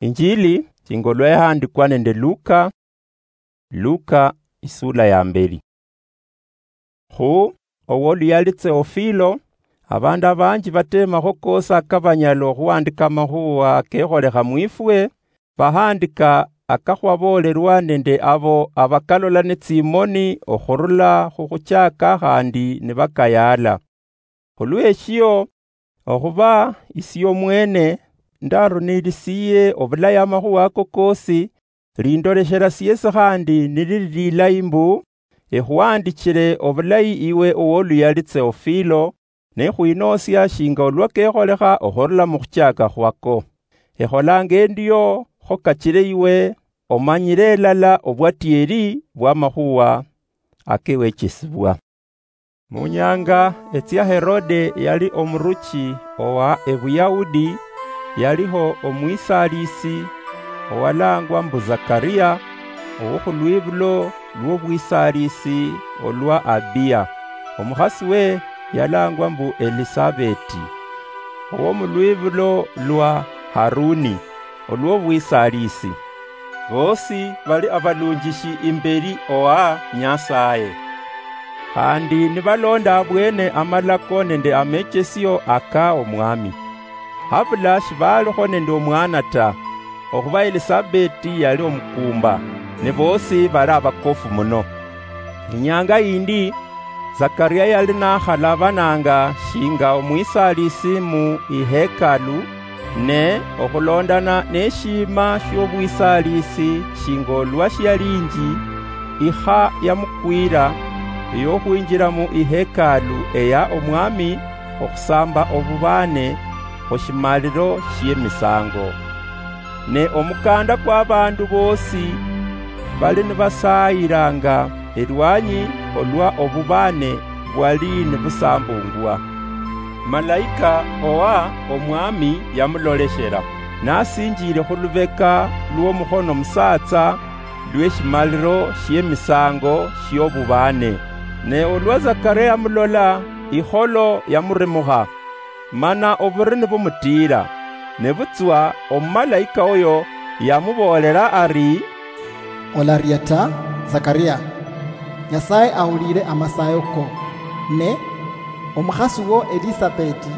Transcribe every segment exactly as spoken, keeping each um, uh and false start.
Injili shinga olwa yahandikwa nende Luka. Luka, isula ya mbeli. Khu, owoluyali Theofilo, abandu abanji batemakho kosi akabanyala okhuhandika amakhuwa kekholekha mwifwe, bahandika akakhwabolerwa nende abo abakalola ne tsimoni okhurula khukhuchaka khandi nibakayala. Khulweshio, okhuba isie omwene ndarunilisiye obulayi amakhuwa ako kosi, lindoleshera siesi khandi nilili lilayi mbu, ekhuhandichire obulayi iwe owoluyali Theofilo, nekhwinosia shinga olwa kekholekha okhurula mukhuchaka khwako. Ekholanga endio kho kachire iwe omanyire elala obwatieri bwamakhuwa akewechesibwa. Munyanga etsia Herode yali omuruchi owa Ebuyahudi, yaliho omwisalisi owalangwa mbu Zakaria, owokhulwibulo lwobwisalisi olwa Abiya. Omukhasi we yalangwa mbu Elisabeti, owomulwibulo lwa Haruni olwobwisalisi. Bosi bali abalunjishi imbeli owa Nyasaye. Khandi nibalonda abwene amalako nende amechesio aka Omwami. Habula shibalikho nende omwana ta, okhuba Elisabeti yali omukumba, ne bosi bali abakofu muno. Inyanga yindi, Zakaria yali nakhalabananga shinga omwisalisi mu ihekalu, ne okhulondana neshima shiobwisalisi shinga olwa shialinji, ikha yamukwira eyokhwinjira mu ihekalu eya Omwami okhusamba obubane khushimaliro shiemisango. Ne omukanda kwabandu bosi bali nibasayiranga elwanyi olwa obubane bwali nibusambungwa. Malaika owa Omwami yamuloleshera, nasinjire khulubeka lwomukhono musatsa lweshimaliro shiemisango shiobubane. Ne olwa Zakaria yamulola, ikholo yamurimukha, mana oburi nibumutiira. Nebutswa omumalaika oyo yamuboolera ari, "Olaria ta, Zakaria. Nyasaye ahulire amasayo ko, ne omukhasi wo Elisabeti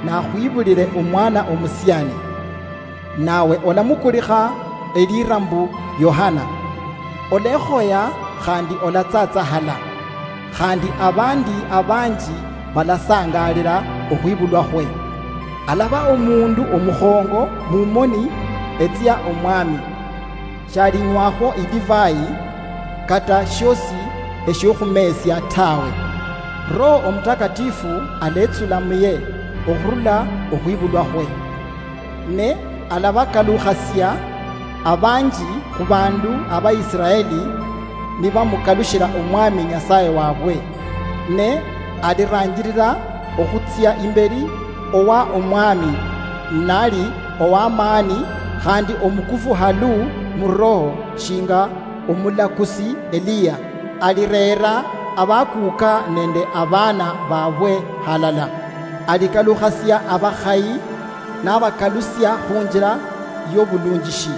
nakhwibulire omwana omusiani, nawe olamukulikha elira mbu Yohana. Olekhoya khandi olatsatsahala, khandi abandi abanji balasangalira okhwibulwa khwe. Alaba omundu omukhongo mumoni etsia Omwami. Shalinywakho idivai, kata shiosi eshiokhumesya tawe. Roho Omutakatifu aletsula muye okhurula okhwibulwa khwe. Ne alabakalukhasia abanji khubandu Abaisiraeli nibamukalushila Omwami Nyasaye wabwe. Ne aliranjirira okhutsia imbeli owa Omwami, nali owamaani khandi omukufu halu mu roho shinga omulakusi Eliya. Alireera abakuuka nende abaana babwe halala. Alikalukhasia abakhayi nabakalusia khunjila yobulunjishi,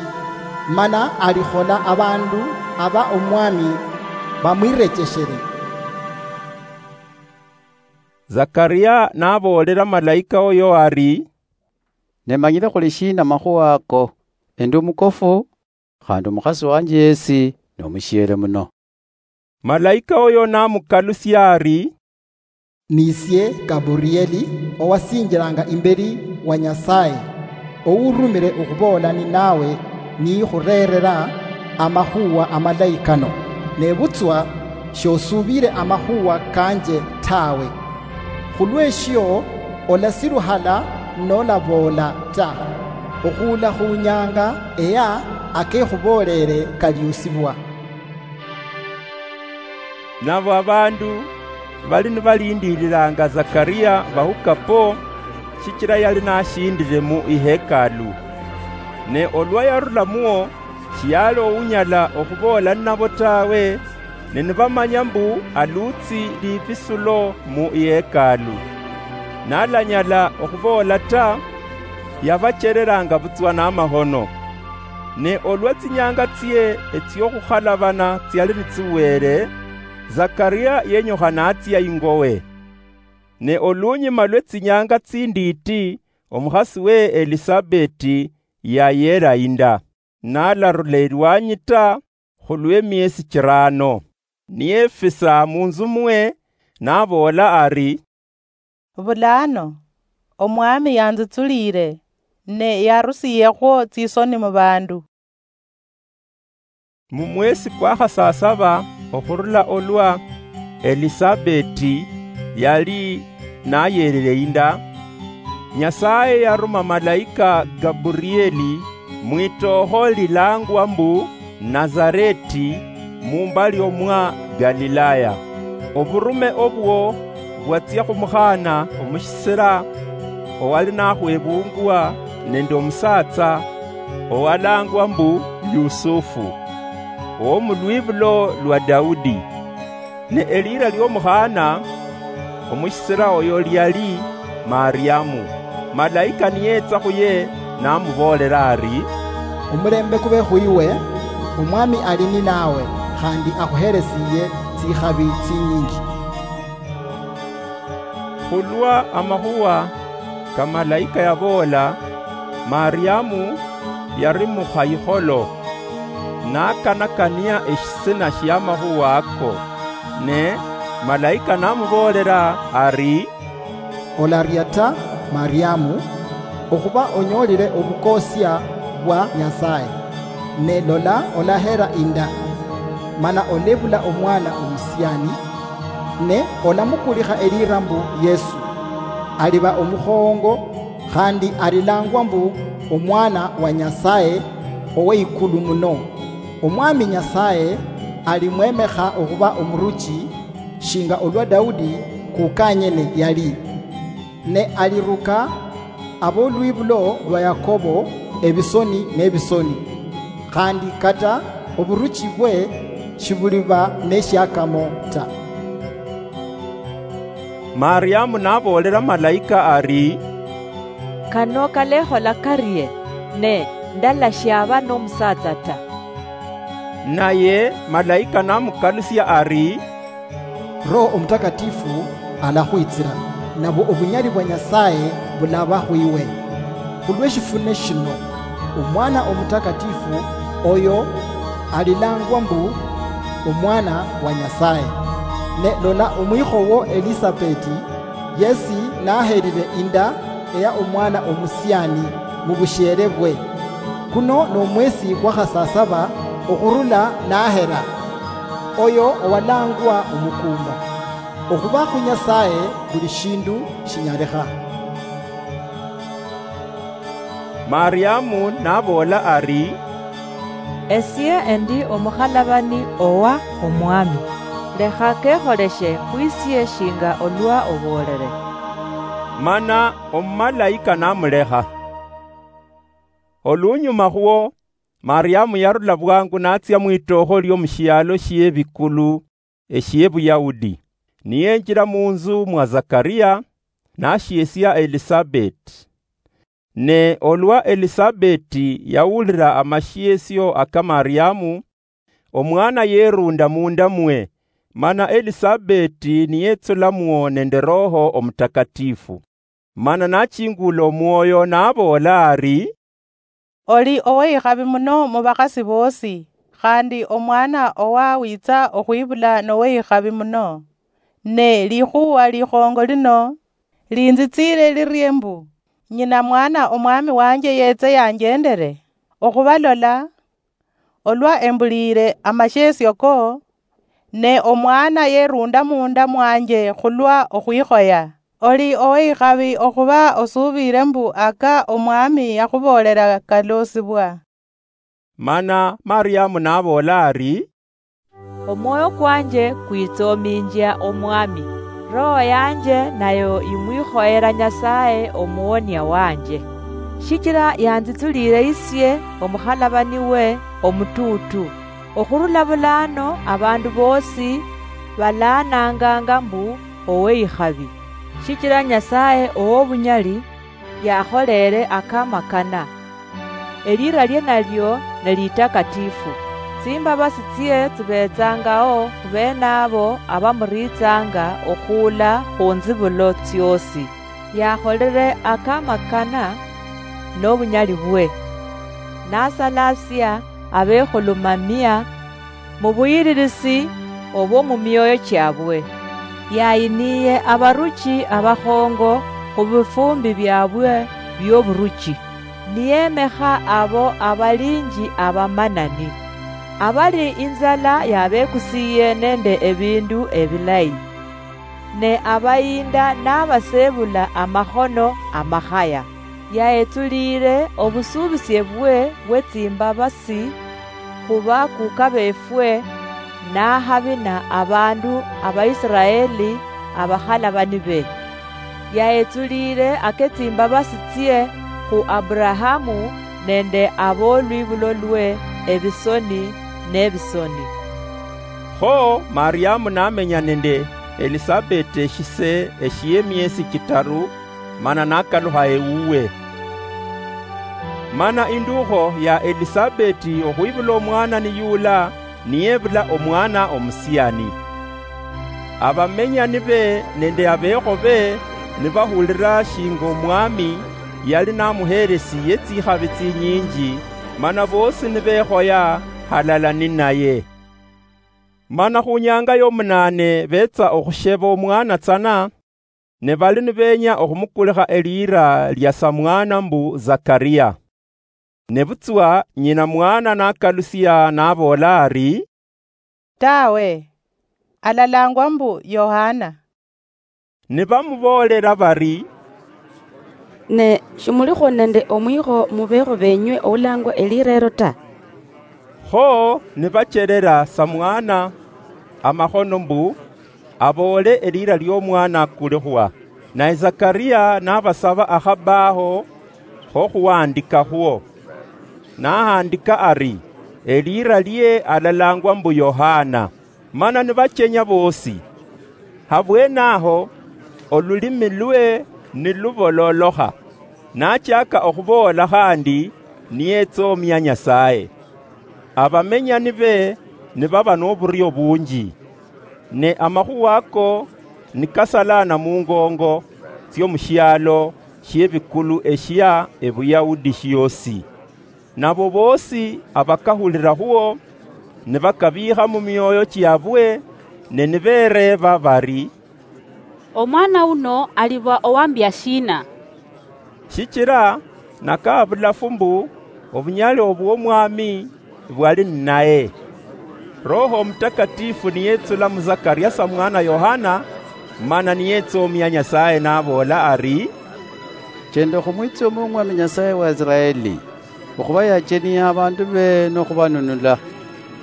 mana alikhola abandu aba Omwami bamwirecheshere." Zakaria naboolela malaika oyo ari, "Ne manyile khuli shina makhuwa ako? Endi omukofu, khandi omukhasi wanje yesi nomushiele muno." Malaika oyo namukalusia ari, "Nisie Gaburieli, owasinjilanga imbeli wa Nyasaye, ourumile okhuboola ninawe nikhurerera amakhuwa amalayi kano. Nebutswa shosuubile amakhuwa kanje tawe. Khulweshio, olasiluhala nolaboola ta, okhuula khunyanga eya akekhuboolele kaliusibwa." Nabo abandu bali nibalindililanga Zakaria bahukapo, shichila yali nashindile mu ihekalu. Ne olwa yarulamuo, shiyali ounyala okhuboola ninabo tawe, ne nibamanya mbu alutsi libisulo mu ihekalu. Nalanyala okhuboola ta, yabachereranga butswa namahono. Ne olwa tsinyanga tsie etsiokhukhalabana tsiali nitsiwere, Zakaria yenyukha natsia ingowe. Ne olunyuma lwe tsinyanga tsinditi, omukhasi we Elisabeti yayera inda, nalarula elwanyi ta khulwemiesi chirano. Niyefisa munzu mwe, naboola ari, "Bulano, Omwami yanzitsulire, ne yarusiyekhwo tsisoni mubandu." Mumwesi kwa khasasaba okhurula olwa Elisabeti yali nayerire inda, Nyasaye yaruma malaika Gaburieli mwitookho lilangwa mbu Nazareti, mumbali omwa Galilaya. Oburume obwo bwatsia khumukhaana omushisira owali nakhwebungwa nende omusatsa owalangwa mbu Yusufu, owomulwibulo lwa Daudi. Ne eliira liomukhaana omushisira oyo liali Mariamu. Malaika niyetsa khuye namuboolera ari, "Omulembe kube khwiwe, Omwami ali ninawe, khandi akhuheresiye tsikhabi tsinyinji." Khulwa amakhuwa ka malaika yaboola, Mariamu yari mukhayikholo, nakanakania eshisina shiamakhuwa ako. Ne malaika namuboolera ari, "Olaria ta, Mariamu, okhuba onyoolire obukosia bwa Nyasaye. Ne lola, olahera inda, mana olebula omwana omusiani, ne olamukulikha eliira mbu Yesu. Aliba omukhoongo, khandi alilangwa mbu Omwana wa Nyasaye Oweikulu Muno. Omwami Nyasaye alimwemekha okhuba omuruchi, shinga olwa Daudi kukanyene yali. Ne aliruka abolwibulo lwa Yakobo ebisoni nebisoni, khandi kata oburuchi bwe shibuliba neshiakamo ta." Mariamu naboolera malaika ari, "Kano kalekhola karie, ne ndalashaba nomusatsa ta?" Naye malaika namukalusia ari, "Roho Omutakatifu alakhwitsira, nabwo obunyali bwa Nyasaye bulaba khwiwe. Khulweshifune shino, Omwana Omutakatifu oyo alilangwa mbu Omwana wa Nyasaye. Ne lola, omwikhowo Elisabeti yesi naherire inda eya omwana omusiani mubushiere bwe. Kuno nomwesi kwa khasasaba okhurula nahera, oyo owalangwa omukumba. Okhuba khu Nyasaye buli shindu shinyalikha." Mariamu naboola ari, "Esie endi omukhalabani owa Omwami. Lekha kekholeshe khwisie shinga olwa oboolere." Mana omumalaika namulekha. Olunyuma khwo, Mariamu yarula bwangu natsia mwitookho liomushialo shiebikulu eshie Buyahudi, niyenjira munzu mwa Zakaria, nashiesia Elisabeti. Ne olwa Elisabeti yawulira amashiesio aka Mariamu, omwana yerunda munda mwe, mana Elisabeti niyetsulamwo nende Roho Omutakatifu. Mana nachingula omwoyo, naboola ari, "Oli oweyikhabi muno mubakhasi boosi, khandi omwana owawitsa okhwibula noweyikhabi muno. Ne likhuwa likhongo lino linzitsire lirie mbu, nyina mwana omwami wanje yetse yanjendere? Okhuba lola, olwa embuliire amashiesio ko, ne omwana yerunda munda mwanje khulwa okhwikhoya. Oli oweyikhabi okhuba osuubire mbu aka Omwami yakhuboolera kaloosibwa." Mana Mariamu naboola ari, "Omwoyo kwanje kwitsominjia Omwami, roho yanje nayo yimwikhoyera Nyasaye Omuwonia wanje, shichira yanzitsulire isie omukhalabani we omutuutu. Okhurula bulano abandu boosi balaananganga mbu oweyikhabi, shichira Nyasaye owobunyali yakholere akamakana. Elira lie nalio ne litakatifu. Tsimbabasi tsie tsibetsangao khubenabo abamuritsanga okhuula khunzibulo tsiosi. Yakholere akamakana nobunyali bwe, nasalasia abekhulumamia mubuyililisi obwo mumioyo chiabwe. Yayiniye abaruchi abakhongo khubifumbi biabwe bioburuchi, niyemekha abo abalinji abamanani, abali inzala yabekusiye nende ebindu ebilayi, ne abayinda nabasebula amakhono amakhaya. Yahetsulire obusubisie bwe bwetsimbabasi khubakuka befwe, nahabina abandu Abaisiraeli abakhalabani be. Yahetsulire aketsimbabasi tsie khu Aburahamu nende abolwibulo lwe ebisoni nebisoni. Kho Mariamu namenya nende Elisabeti eshise eshiemiesi chitaru, mana nakalukha ewuwe. Mana indukho ya Elisabeti okhwibula omwana niyula, niyebula omwana omusiani. Abamenyani be nende abekho be nibahulira shinga Omwami yali namuhelesiye tsikhabi tsinyinji, mana bosi nibekhoya halala ninaye. Mana khunyanga yomunane betsa okhusheba omwana tsana, ne bali nibenya okhumukulikha elira lia samwana mbu Zakaria. Nebutswa nyina mwana nakalusia naboola ari, "Tawe, alalangwa mbu Yohana." Nibamuboolela bari, "Ne shimulikho nende omwikho mubekho benywe oulangwa elira elo ta." Kho nibacherera samwana amakhono mbu aboole elira liomwana akulikhwa. Naye Zakaria nabasaba akhabaho khokhuhandikakhwo. Nahandika ari, "Elira lie alalangwa mbu Yohana." Mana nibachenya bosi. Habwenaho olulimi lwe nilubololokha, nachaka okhuboola khandi niyetsomia Nyasaye. Abamenyani be nibaba noburio bunji. Ne amakhuwa ako nikasalana mungongo tsiomushialo shiebikulu eshia eBuyahudi shiosi. Nabo bosi abakahulira khuo nibakabiikha mumioyo chiabwe, ne nibereeba bari, "Omwana uno aliba owambia shina?" Shichira nakaha bulafu mbu obunyali obwomwami bwali ninaye. Roho Omutakatifu niyetsula mu Zakaria samwana Yohana, mana niyetsomia Nyasaye naboola ari, "Chenda okhumwitsomia Omwami Nyasaye wa Israeli, okhuba yachenia abandu be nokhubanunula.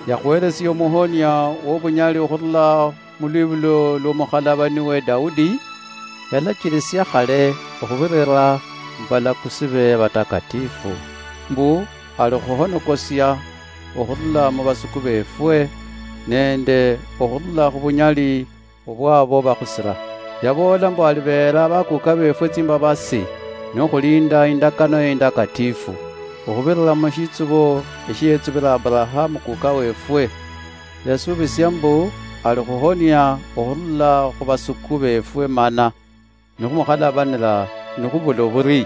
Yakhuhelesia omuhonia wobunyali okhurula mulwibulo lwomukhalabani we Daudi, yalachilisia khale okhubirira mubalakusi be abatakatifu, mbu alikhuhonokosia okhurula mubasuku befwe, nende okhurula khubunyali obwabo bakhusira. Yaboola mbu alibeera bakuka befwe tsimbabasi, nokhulinda indakano indakatifu, okhubirira mushitsubo eshiyetsubira Aburahamu kuka wefwe. Yasubisia mbu alikhuhonia okhurula khubasuku befwe mana nikhumukhalabanira nikhubula oburii,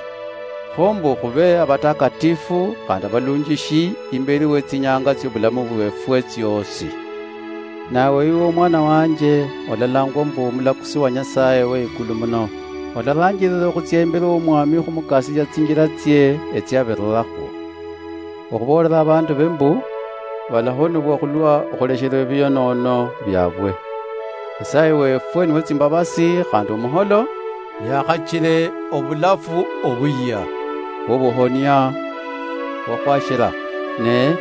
kho mbu khube abatakatifu khandi abalunjishi imberi wetsinyanga tsiobulamu bwefwe tsiosi. Nawe iwe omwana wanje, olalangwa mbu omulakusi wa Nyasaye we ikulu muno. Olaranjirira okhutsia imberi womwami khumukasisia tsinjira tsie etsiabirirakho, okhuboolera abandu be mbu balahonibwa khulwa okhuleshera ebionono biabwe. Nyasaye wefwe niwe tsimbabasi khandi omuholo, yakhachire obulafu obuyia bwobuhonia bwakhwashira, ne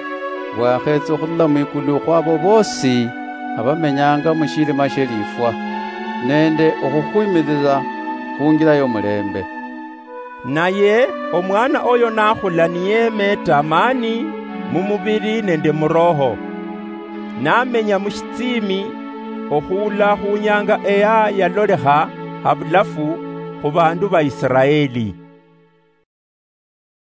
bwakhetsa okhurula mwikulu khwabo bosi abamenyanga mushirima shelifwa, nende okhukhwimirira khungira yomulembe. Naye omwana oyo nakhula niyemeeta amani mumubiri nende muroho, namenya mushitsimi okhuula khunyanga eya yalolekha habulafu khubandu ba Israeli.